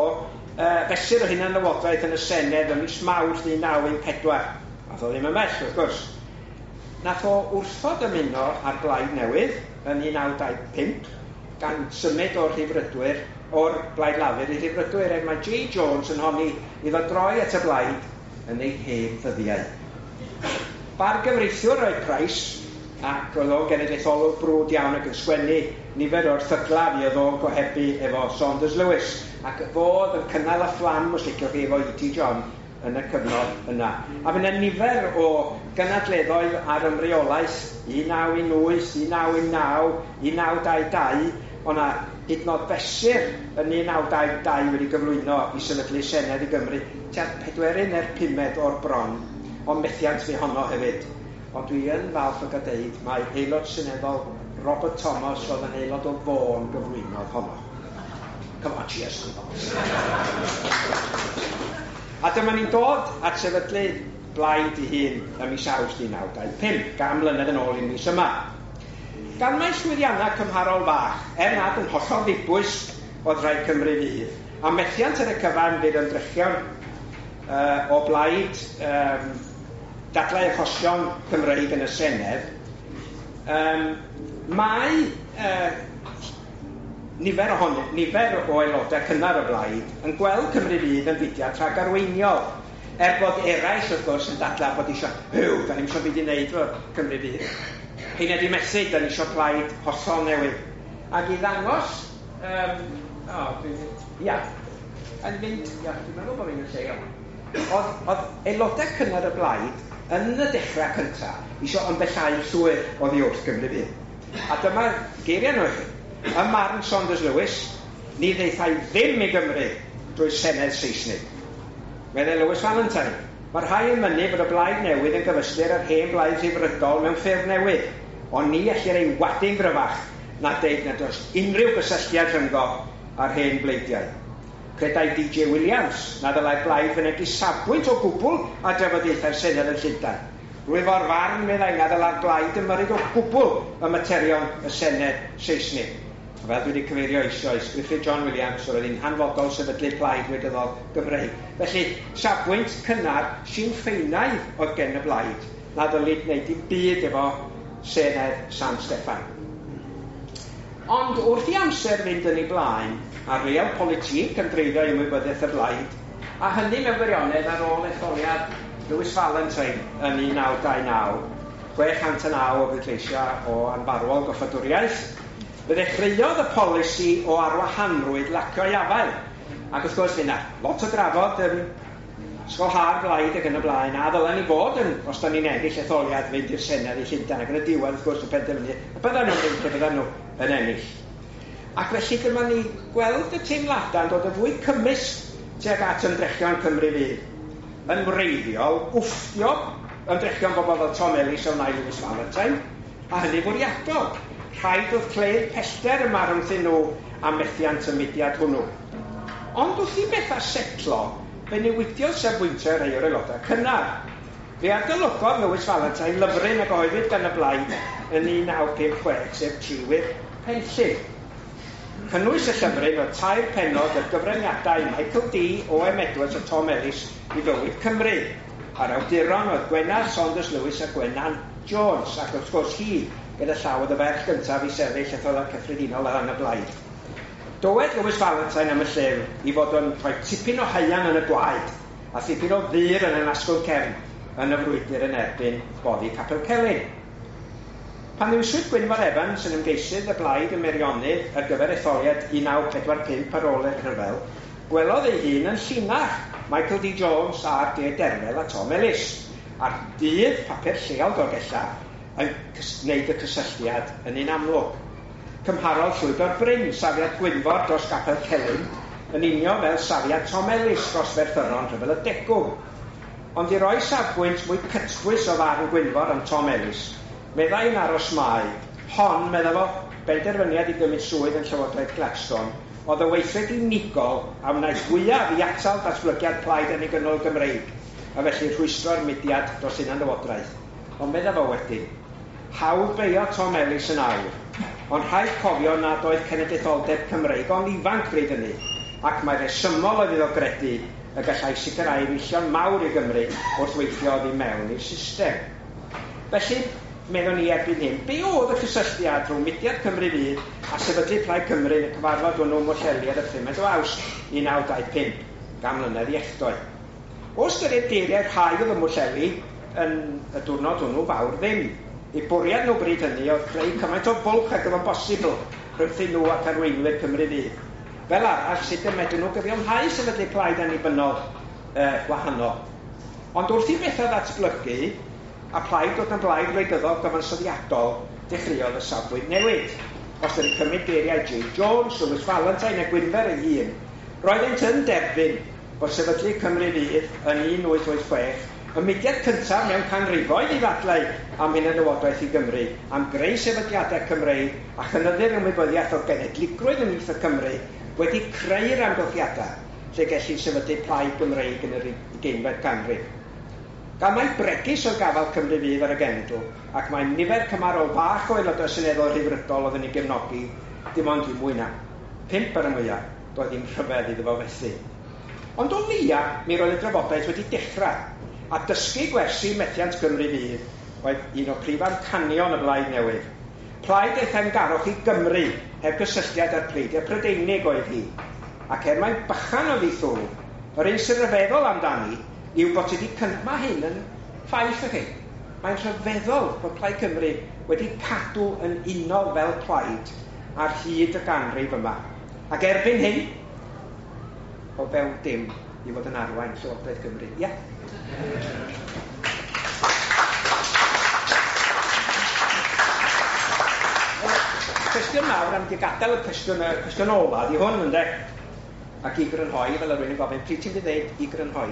fesur o hunanlywodraeth yn y Senedd ym mis Mawrth 1914. Nath o ddim ymhell, wrth gwrs. Nath o wrthod ymuno â'r Blaid Newydd yn 1925, gan symud o'r Rhyddfrydwyr, o'r Blaid Lafur i Rhyddfrydwyr, er mae J. Jones yn honni iddo droi at y Blaid yn ei hen ddyddiau. Bargyfreithiwr oedd Price, ac oedd o'n genedlaetholwr brwd iawn ac yn sgwennu nifer o'r erthyglau fuodd o'n gohebu efo Saunders Lewis, ac fo oedd yn cynnal y fflam, os liciwch chi, efo E.T. John yn y cyfnod yna. A fydd yna nifer o gynadleddoedd ar ymreolaeth 1918, 1919, 1922, o'na hyd yn oed fesur yn 1922 wedi gyflwyno i sefydlu Senedd i Gymru, tua'r pedwerydd neu'r pumed o'r bron, ond methiant fu honno hefyd. Ond dwi yn falch o gael deud mai aelod seneddol Robert Thomas oedd yn aelod o Fôn gyflwynodd honno. Come on, cheers. A dyma ni'n dod at sefydlu Blaid ei hun ym mis Awst 1925, 100 mlynedd yn ôl i'r mis yma. Gan mai llwyddiannau cymharol fach, er nad yn hollol ddibwys oedd rhai Cymru Fydd, a methiant ar y cyfan fydd ymdrechion o blaid dadlau achosion Cymreig yn y Senedd, mae nifer ohonyn, nifer o aelodau cynnar y blaid yn gweld Cymru Fydd yn fudiad rhagarweiniol, er bod eraill wrth gwrs yn dadlau bod eisiau, hyw, da ni'm eisiau byd i wneud efo Cymru Fydd. Heina di methu, da ni eisiau plaid hollol newydd. Ac i ddangos, o, dwi'n, ia, yn mynd, ia, dwi'n meddwl bod fi'n y lle iawn. Oedd aelodau cynnar y blaid yn y dechrau cyntaf eisiau ymbellhau llwyr oddi wrth Gymru Fydd. A dyma geiriau nhw i chi. Ym marn Saunders Lewis, ni ddaethai ddim i Gymru drwy Senedd Seisnig. Meddai Lewis Valentine, mae rhai yn mynnu bod y blaid newydd yn gyfystyr â'r hen blaid Rhyddfrydol mewn ffurf newydd, ond ni ellir ei wadu'n gryfach na deud nad oes unrhyw gysylltiad rhyngddo â'r hen bleidiau. Credai D.J. Williams na ddylai'r blaid fynegi safbwynt o gwbl ar drafodaethau'r Senedd yn Llundain. Rwyf o'r farn, meddai, na ddylai'r blaid ymyrryd o gwbl ym materion y Senedd Seisnig. A fel dwi wedi cyfeirio eisoes, Gruffydd John Williams oedd hi'n hanfodol sefydlu plaid wleidyddol Gymreig. Felly, safbwynt cynnar Sinn Féinaidd oedd gen y blaid, na ddylid wneud dim byd efo Senedd San Steffan. Ond wrth i amser fynd yn ei blaen, a realpolitik yn dreiddio i ymwybyddiaeth y blaid, a hynny mewn gwirionedd ar ôl etholiad Lewis Valentine yn 1929, 609 o bleidleisiau o anfarwol goffadwriaeth, fe ddechreuodd y polisi o arwahanrwydd lacio ei afael. Ac wrth gwrs, fe 'na lot o drafod yn Ysgol Hâ'r Blaid ac yn y blaen, a ddylen ni fod yn, os da ni'n ennill etholiad, fynd i'r Senedd i Llundain, ac yn y diwedd, wrth gwrs, y penderfynu y byddan nhw'n mynd pe byddan nhw yn ennill. Ac felly dyma ni gweld y teimladau'n dod yn fwy cymysg tuag at ymdrechion Cymru Fydd. Yn wreiddiol, wfftio ymdrechion bobl fel Tom Ellis a wnâi Lewis Valentine, a hynny fwriadol. Rhaid oedd creu'r pellter yma rhwngthyn nhw a methiant y mudiad hwnnw. Ond wrth i bethau setlo, fe newidiodd safbwyntiau rhai o'r aelodau cynnar. Fe adolygodd Lewis Valentine lyfryn a gyhoeddwyd gan y Blaid yn 1956, sef Triwyr Penllyn. Cynnwys y llyfryn oedd tair pennod ar gyfraniadau Michael Dee, O.M. Edwards a Tom Ellis i fywyd Cymru. A'r awduron oedd Gwenallt Saunders Lewis a Gwennan Jones, ac wrth gwrs hi, gyda llaw, oedd y ferch gyntaf i sefyll etholiad cyffredinol ar ran y Blaid. Dywed Lewis Valentine am y llyfr i fod o'n rhoi tipyn o haearn yn y gwaed a thipyn o ddur yn yr asgwrn cefn yn y frwydr yn erbyn boddi Capel Celyn. Pan ddewiswyd Gwynfor Evans yn ymgeisydd y Blaid ym Meirionnydd ar gyfer etholiad 1945 ar ôl y rhyfel, gwelodd ei hun yn llinach Michael D. Jones, R. D. Derfel a Tom Ellis. A'r Dydd, papur lleol Dolgellau, yn gwneud y cysylltiad yn un amlwg. Cymharodd Llwyddo'r Bryn safiad Gwynfor dros Gapel Celyn yn union fel safiad Tom Ellis dros Ferthyron Rhyfel y Degwm. Ond i roi safbwynt mwy cytbwys o farn Gwynfor am Tom Ellis, meddai yn aros mai, hon, medda fo, benderfyniad i gymryd swydd yn Llywodraeth Gladstone, oedd y weithred unigol a wnaeth fwyaf i atal datblygiad plaid annibynnol Gymreig, a felly rhwystro'r mudiad dros hunanlywodraeth. Ond medda fo wedyn, hawdd beio Tom Ellis yn awr, ond rhaid cofio nad oedd cenedlaetholdeb Cymreig ond ifanc bryd hynny, ac mae rhesymol oedd iddo gredu y gallai sicrhau enillion mawr i Gymru wrth weithio oddi mewn i'r system. Felly, meddwn ni erbyn hyn, be oedd y cysylltiad rhwng mudiad Cymru Fydd a sefydlu Plaid Cymru yn y cyfarfod hwnnw ym Mhwllheli ar y 5 o Awst 1925, gan mlynedd i echdoe? O ystyried geiriau rhai oedd ym Mhwllheli yn y diwrnod hwnnw, fawr ddim. Eu bwriad nhw bryd hynny oedd creu cymaint o fwlch ag oedd yn bosibl rhwngthyn nhw ac arweinwyr Cymru Fydd. Fel arall, sut y medrwn nhw gyfiawnhau sefydlu plaid annibynnol gwahanol? Ond wrth i bethau ddatblygu, a plaid dod yn blaid wleidyddol gyfansoddiadol, dechreuodd y safbwynt newid. Os ydych cymryd geiriau J. Jones, Lewis Valentine a Gwynfer ei hun, roeddent yn derbyn bod sefydlu Cymru Fydd yn 1886 y mudiad cyntaf mewn canrifoedd i ddadlau am hunanlywodraeth i Gymru, am greu sefydliadau Cymreig a chynyddu'r ymwybyddiaeth o genedligrwydd ymhlith y Cymru, wedi creu'r amgylchiadau lle gellid sefydlu plaid Gymreig yn yr ugeinfed ganrif. Gan mai bregus oedd gafael Cymru Fydd ar y genedl, ac mae nifer cymharol fach o aelodau seneddol rhyddfrydol oedd yn ei gefnogi, dim ond i mwy na 5 ar y mwyaf, doedd ddim rhyfedd iddo fo fethu. Ond o leia, mi roedd y drafodaeth wedi dechrau, a dysgu gwersi methiant Cymru Fydd oedd un o prif amcanion y Blaid Newydd. Plaid ei theyrngarwch i Gymru heb gysylltiad â'r pleidiau Prydeinig oedd hi. Ac er mai bychan oedd ei thwf, yr un sy'n rhyfeddol amdani yw bod wedi Mae hyn yn ffaith i chi. Mae'n rhyfeddol bod Plaid Cymru wedi cadw yn unol fel plaid ar hyd y ganrif yma. Ac erbyn hyn, o fewn dim i fod yn arwain Llywodraeth Cymru. Ie? Cwestiwn mawr am di gadael y cwestiwn ola di hwn, ynde? Ac i grynhoi, fel yr rwy'n yn gofyn, pryd ti'n dweud i grynhoi?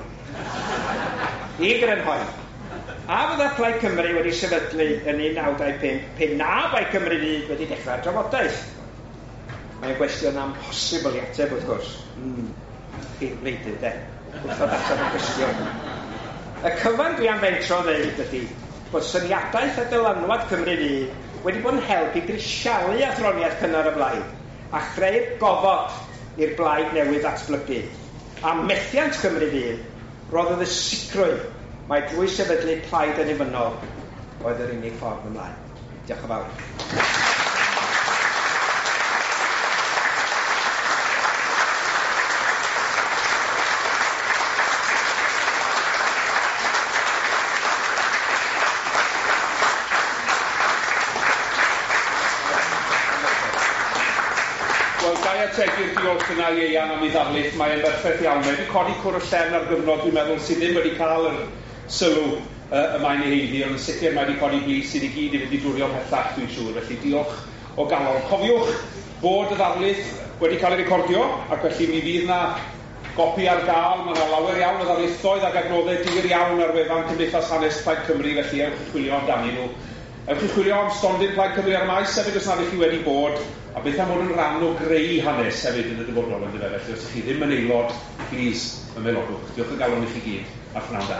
I grynhoi. A fydda Plaid Cymru wedi sefydlu yn 1925 pe na bai Cymru Fydd wedi dechrau'r drafodaeth? Mae'n gwestiwn amhosibl i ateb, wrth gwrs. Chi'n wleidydd, de? Wrthod ateb y cwestiwn. Y cyfan dwi am fentro ddeud ydy bod syniadaeth a dylanwad Cymru Fydd wedi bod yn help i grisialu athroniaeth cynnar y blaid a chreu'r gofod i'r blaid newydd ddatblygu. A methiant Cymru Fydd roddodd y sicrwydd mai drwy sefydlu plaid annibynnol oedd yr unig ffordd ymlaen. Diolch yn fawr. Wel, ga i ategu'r diolch yna i Ieuan am ei ddarlith, mae'n berffaith iawn. Mae wedi codi cwr y llen ar gyfnod, dwi'n meddwl, sydd ddim wedi cael yr sylw y mae'n ei haeddu, ond yn sicr mae wedi codi bys i ni gyd i fynd i dwrio pellach, dwi'n siŵr. Felly diolch o galon. Cofiwch bod y ddarlith wedi cael ei recordio, ac felly mi fydd na gopi ar gael. Mae yna lawer iawn o ddarlithoedd ac adnoddau difyr iawn ar wefan Cymdeithas Hanes Plaid Cymru, felly ewch i chwilio amdanyn nhw. Ewch i chwilio am stondin Plaid Cymru ar y maes hefyd os nad ydych chi wedi bod, a beth am fod yn rhan o greu hanes hefyd yn y dyfodol, yndyfe? Felly os ydych chi ddim yn aelod, please, ymaelodwch. Diolch o galon i chi gyd, a phnawn da.